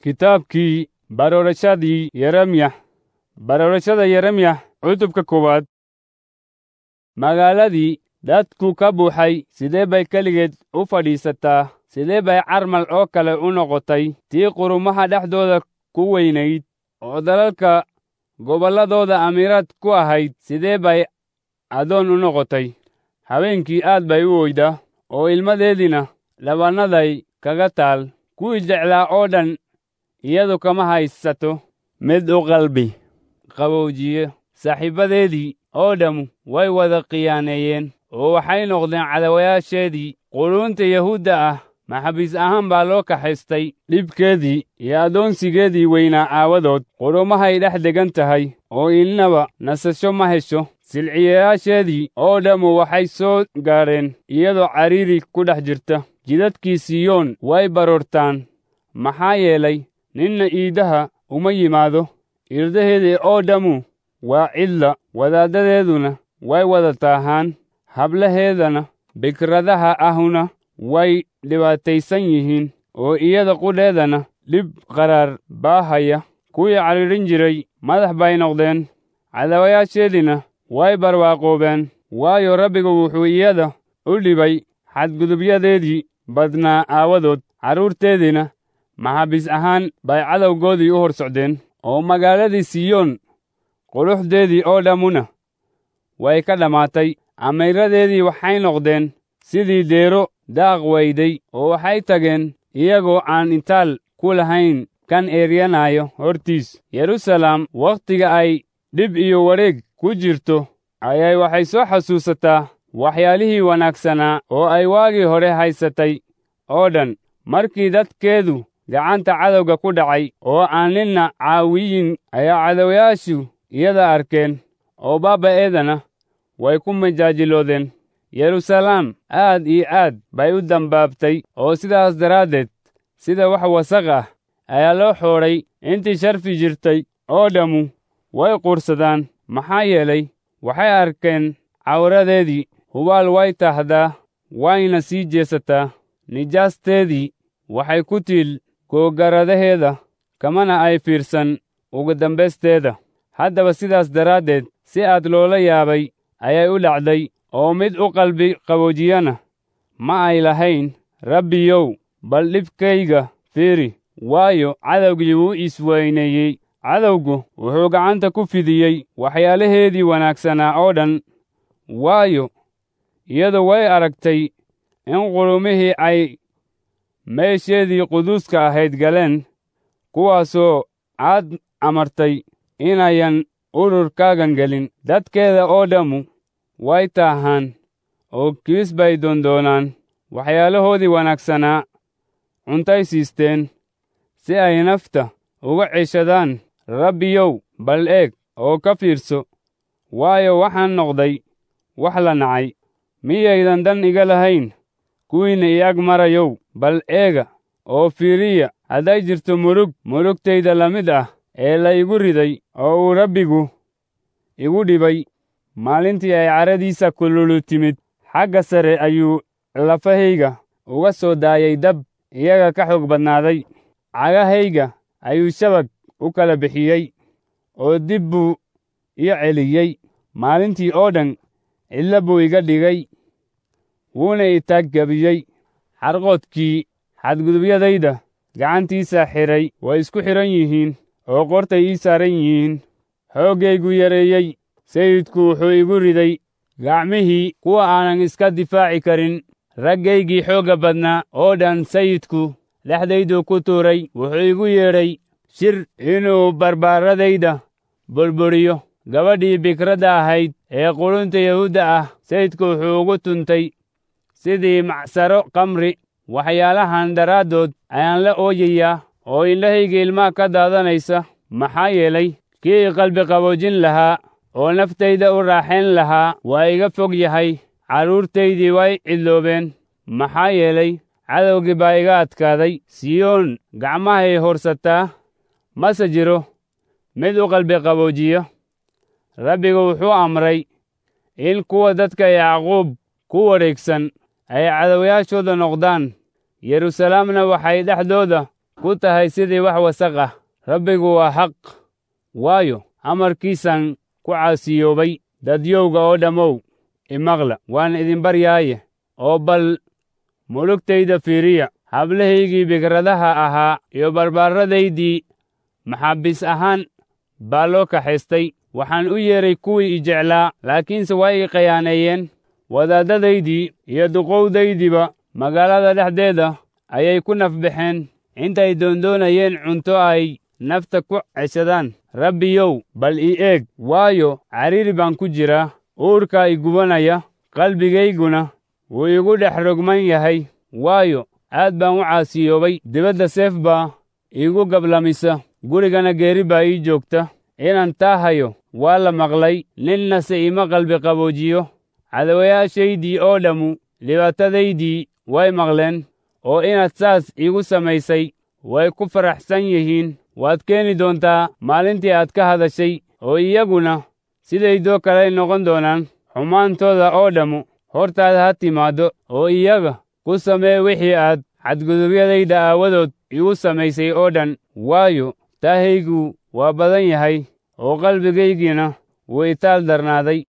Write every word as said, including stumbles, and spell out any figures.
Kitaabkii Baroorashadii Yeremyax. Baroorashada Yeremyax, cutubka koowaad. Magaaladii dadku ka buuxay sidee bay keligeed u fadhiisataa? Sidee bay carmal oo kale u noqotay tii qurumaha dhexdooda ku weynayd oo dalalka gobolladooda amiiraad ku ahayd? Sidee bay addoon u noqotay? Habeenkii aad bay u oydaa, oo ilmadeediina dhabannaday kaga taal. Kuwii jeclaa oo dhan iyadu kama haysato mid u qalbi qaboojiye. Saaxiibbadeedii oo dhammu way wada khiyaaneeyeen, oo waxay noqdeen cadawayaasheedii. Quruunta Yahuudda ah maxaabiis ahaan baa loo kaxaystay dhibkeedii iyo addoonsigeedii weynaa aawadood. Qurumahay dhex deggan tahay, oo innaba nasasho ma hesho. Silciyayaasheedii oo dhammu waxay soo gaadheen iyadoo cariiri ku dhex jirta. Jidadkii Siyoon way baroortaan, maxaa yeelay, ninna iidaha uma yimaado. Irdaheedii oo dhammu waa cidla, wadaaddadeeduna way wada taahaan, hablaheedana bikradaha ahuna way dhibaataysan yihiin, oo iyada qudheedana dhib qaraar baa haya. Kuwii cadhiidhin jiray madax bay noqdeen, cadawayaasheediina way barwaaqoobeen, waayo, Rabbigu wuxuu iyada u dhibay xadgudubyadeedii badnaa aawadood. Carruurteediina maxaabiis ahaan bay cadowgoodii u hor socdeen, oo magaaladii Siyoon quruxdeedii oo dhammuna way ka dhammaatay. Amiiradeedii waxay noqdeen sidii deero daaq weyday, oo waxay tageen iyagoo aan intaal ku lahayn kan eeryanaayo hortiis. Yeruusaalem wakhtiga ay dhib iyo wareeg ku jirto ayay waxay soo xasuusataa waxyaalihii wanaagsanaa oo ay waagii hore haysatay oo dhan, markii dadkeedu gacanta cadowga ku dhacay oo aan ninna caawiyin ayaa cadawayaashu iyada arkeen, oo baaba'eedana way ku majaajiloodeen. Yeruusaalem aad iyo aad bay u dambaabtay, oo sidaas daraaddeed sida wax wasaq ah ayaa loo xoodhay. Intii sharfi jirtay oo dhammu way quursadaan, maxaa yeelay, waxay arkeen cawradeedii. Hubaal way taahdaa, wayna sii jeesataa. Nijaasteedii waxay ku tiil googaradaheeda, kamana ay fiirsan ugu dambaysteeda. Haddaba sidaas daraaddeed si aad loola yaabay ayay u dhacday, oo mid u qalbi qaboojiyana ma ay lahayn. Rabbiyow, bal dhibkayga fiiri, waayo, cadowgii wuu isweyneeyey. Cadowgu wuxuu gacanta ku fidiyey waxyaalaheedii wanaagsanaa oo dhan, waayo, iyadu way aragtay in qurumihii ay meesheedii quduuska ahayd galeen, kuwaasoo aad amartay inayan ururkaagan gelin. Dadkeeda oo dhammu way taahaan, oo kiis bay doondoonaan. Waxyaalahoodii wanaagsanaa cuntay siisteen si ay nafta uga ceshadaan. Rabbiyow, bal eeg oo ka fiirso, waayo, waxaan noqday wax la nacay. Miyaydan dan iga lahayn kuwiinna i ag marayow? Bal eega oo fiiriya hadday jirto murug murugtayda la mid ah ee la igu riday oo uu Rabbigu igu dhibay maalintii ay caradiisa kululu timid. Xagga sare ayuu lafahayga uga soo daayay dab iyaga ka xoog badnaaday. Cagahayga ayuu shabag u kala bixiyey, oo dib buu ii celiyey. Maalintii oo dhan cidla buu iga dhigay, wuuna i taaggabiyey. Xarqoodkii xadgudubyadayda gacantiisa xidhay way isku xidhan yihiin, oo qortay ii saaran yihiin. Xooggaygu yareeyey, Sayidku wuxuu igu riday gacmihii kuwa aanan iska difaaci karin. Raggaygii xoogga badnaa oo dhan Sayidku dhexdayduu ku tuuray. Wuxuu igu yeedhay shir inuu barbaaradayda burburiyo. Gabadhii bikradda ahayd ee qurunta Yahuudda ah Sayidku wuxuu ugu tuntay sidii macsaro khamri. Waxyaalahan daraaddood ayaan la ooyayaa, oo indhahayga ilmaha ka daadanaysa, maxaa yeelay, kii i qalbi qaboojin lahaa oo naftayda u raaxayn lahaa waa iga fog yahay. Carruurtaydii way cidloobeen, maxaa yeelay, cadowgii baa iga adkaaday. Siyoon gacmahay horsataa, mase jiro mid u qalbi qaboojiya. Rabbigu wuxuu amray in kuwa dadka Yacquub ku wareegsan ay cadawayaashooda noqdaan. Yeruusaalemna waxay dhexdooda ku tahay sidii wax wasaq ah. Rabbigu waa xaq, waayo, amarkiisaan ku caasiyoobay. Dadyowga oo dhammow, imaqla, waan idin baryaaye, oo bal mulugtayda fiiriya. Hablahaygii bikradaha ahaa iyo barbaarradaydii maxaabiis ahaan baa loo kaxaystay. Waxaan u yeedhay kuwii i jeclaa, laakiinse way i khiyaaneeyeen. Wadaadadaydii iyo duqowdaydiiba magaalada dhexdeeda ayay ku nafbaxeen intay doondoonayeen cunto ay nafta ku ceshadaan. Rabbiyow, bal ii eeg, waayo, cariiri baan ku jiraa. Uurkaa i gubanaya, qalbigayguna wuu igu dhex rogman yahay, waayo, aad baan u caasiyoobay. Dibadda seef baa iigu gablamisa, gurigana geeri baa ii joogta. Inaan taa hayo waa la maqlay, ninnase iima qalbi qaboojiyo. Cadawayaashaydii oo dhammu dhibaatadaydii way maqleen, oo inaad saas iigu samaysay way ku faraxsan yihiin. Waad keeni doontaa maalintii aad ka hadashay, oo iyaguna sidaydoo kaley noqon doonaan. Xumaantooda oo dhammu hortaada ha timaaddo, oo iyaga ku samee wixii aad xadgudubyadayda aawadood igu samaysay oo dhan. Waayo, taahaygu waa badan yahay, oo qalbigaygina wuu itaal darnaaday.